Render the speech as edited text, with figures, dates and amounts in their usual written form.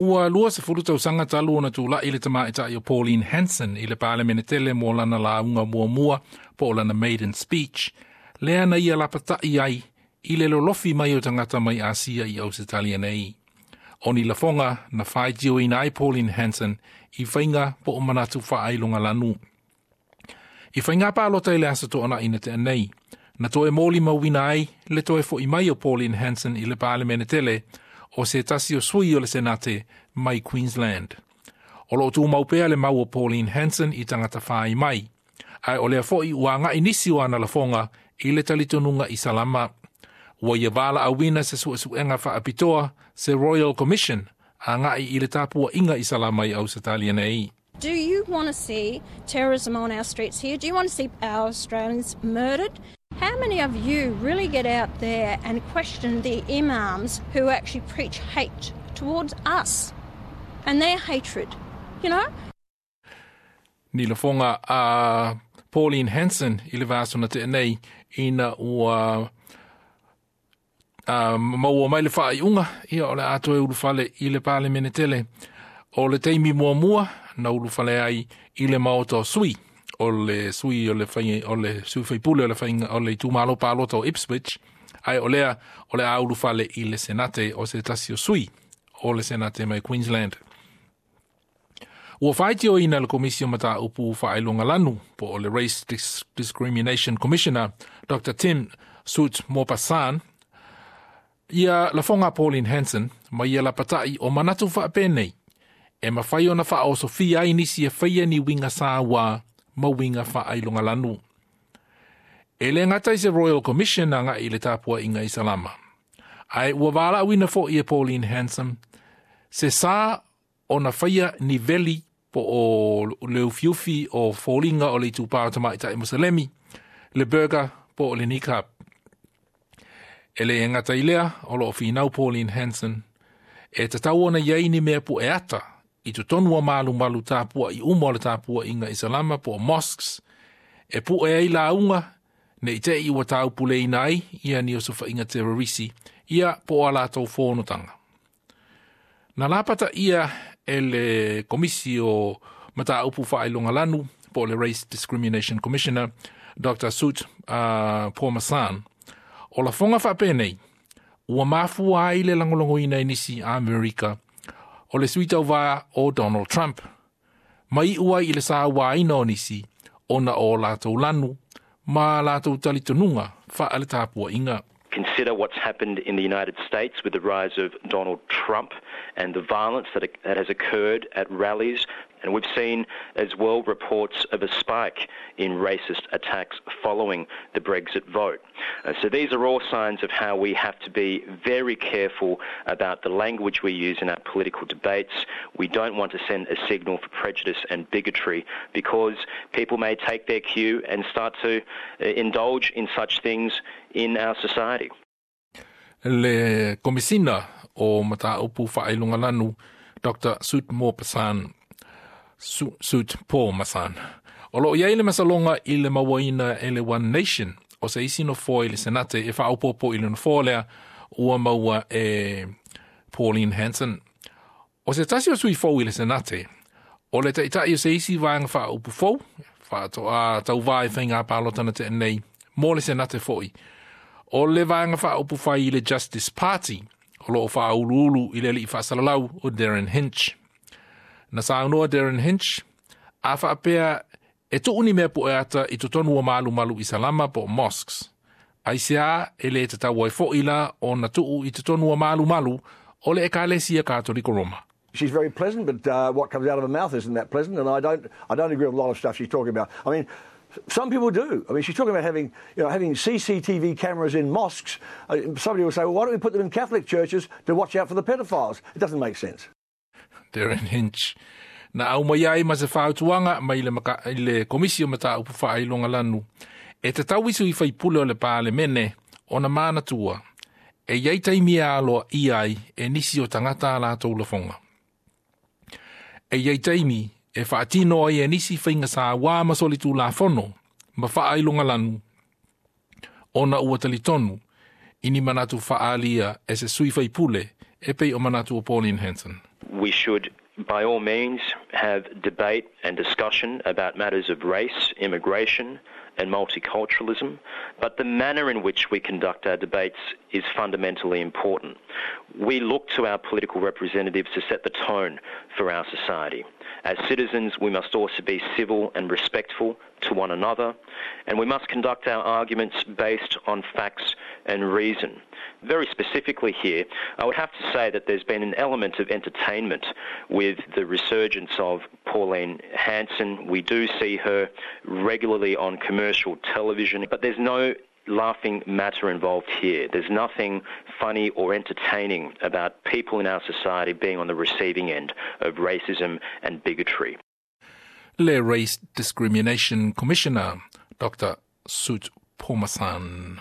Ua 20 tausaga talu ona tula'i le tamaitai o Pauline Hanson i le Palemene tele mo lana lauga muamua po o lana maiden speech, lea na ia lapata'i ai i le lolofi mai o tagata mai Asia i Ausetalia nei. O ni lafoga na faitioina ai Pauline Hanson i faiga po o manatu faailogalanu. I faiga palota i le aso Toonai na tea nei, na toe molimauina ai le toe fo'i mai o Pauline Hanson i le Palemene tele o se tasi o sui o le Senate mai Queensland. O loo tumau pea le mau o Pauline Hanson i tagata fai mai, ae o lea fo'i ua aga'i nisi o ana lafoga i le talitonuga Isalama. Ua ia valaauina se suesuega faapitoa, se Royal Commission, aga'i i le tapua'iga Isalama i Ausetalia nei. Do you want to see terrorism on our streets here? Do you want to see our Australians murdered? How many of you really get out there and question the imams who actually preach hate towards us and their hatred? You know? Ni lafoga a Pauline Hanson i le vaiaso na tea nei ina ua maua mai le faaiuga ia o le a toe ulufale i le Palemene tele. O le taimi muamua na ulufale ai i le maota o sui, o le sui o le fai, o le sui faipule o le faiga o le itumalo palota o Ipswich, ae o lea o le a ulufale i le Senate o se tasi o sui o le Senate mai Queensland. Ua faitioina le Komisi o Mataupu Faailogalanu po o le Race Discrimination Commissioner Dr. Tim Soutphommasane ia lafoga Pauline Hanson ma ia lapata'i o manatu faapenei e mafai ona faaosofia ai nisi e faia ni uiga sauā ma uiga faailogalanu. E le gata i se Royal Commission aga'i i le tapua'iga Isalama, ae ua valaauina fo'i e Pauline Hanson se sa ona faia ni veli po o le ufiufi o foliga o le itupā o tamaitai Muselemi, le burqa po o le niqab. E le gata i lea, o loo finau Pauline Hanson e tatau ona iai ni mea pu'e ata i totonu o malumalu tapua'i uma o le tapua'iga Isalama po o mosques e pu'e ai lauga ne i te i ua taupuleina ai ia ni osofa'iga terorisi ia po o a latou fonotaga. Na lapata ia e le Komisi o Mataupu Faailogalanu po o le Race Discrimination Commissioner Dr. Soutphommasane o lafoga faapenei ua mafua ai le lagolagoina e nisi Amerika o le sui tauvā o Donald Trump, ma iu ai i le sauāina o nisi ona o latou lanu ma latou talitonuga faaletapua'iga. Consider what's happened in the United States with the rise of Donald Trump and the violence that has occurred at rallies. And we've seen as well reports of a spike in racist attacks following the Brexit vote. So these are all signs of how we have to be very careful about the language we use in our political debates. We don't want to send a signal for prejudice and bigotry because people may take their cue and start to indulge in such things in our society. Le Komisina o Mataupu Faailogalanu Dr. Soutphommasane, Soutphommasane. O loo iai le masaloga i le mauaina e le One Nation o se isi nofoa i le Senate e faaopoopo i le nofoa lea ua maua e Pauline Hanson. O se tasi o sui fou i le Senate, o le ta'ita'i o se isi vaega faaupu fou, faatoa tauvā i faiga palota na tea nei, mo le Senate fo'i. O le vaega faaupufai i le Justice Party, o loo faauluulu i le alii faasalalau o Derryn Hinch. Na saunoa Derryn Hinch, a faapea e tuu ni mea pu'e ata i totonu o malumalu Isalama po o mosques, aisea e lē tatau ai fo'i la ona tuu i totonu o malumalu o le Ekalesia Katoliko Roma? She's very pleasant, but what comes out of her mouth isn't that pleasant, and I don't agree with a lot of stuff she's talking about. I mean, some people do. I mean, she's talking about having CCTV cameras in mosques. Somebody will say, "Well, why don't we put them in Catholic churches to watch out for the pedophiles?" It doesn't make sense. Derryn Hinch. Na aumai ai ma se fautuaga mai le, maka, i le Komisi o Mataupu Faailogalanu e tatau i sui faipule o le Palemene ona manatua e iai taimi e aloaia ai e nisi o tagata a latou lafoga. E iai taimi e faatino ai e nisi faiga sauā ma solitulafono ma faailogalanu ona ua talitonu i ni manatu faaalia e se sui faipule e pei o manatu o Pauline Hanson. We should, by all means, have debate and discussion about matters of race, immigration, and multiculturalism, but the manner in which we conduct our debates is fundamentally important. We look to our political representatives to set the tone for our society. As citizens, we must also be civil and respectful to one another, and we must conduct our arguments based on facts and reason. Very specifically here, I would have to say that there's been an element of entertainment with the resurgence of Pauline Hanson. We do see her regularly on commercial television, but there's no laughing matter involved here. There's nothing funny or entertaining about people in our society being on the receiving end of racism and bigotry. Le Race Discrimination Commissioner, Dr. Suth Phommasanh.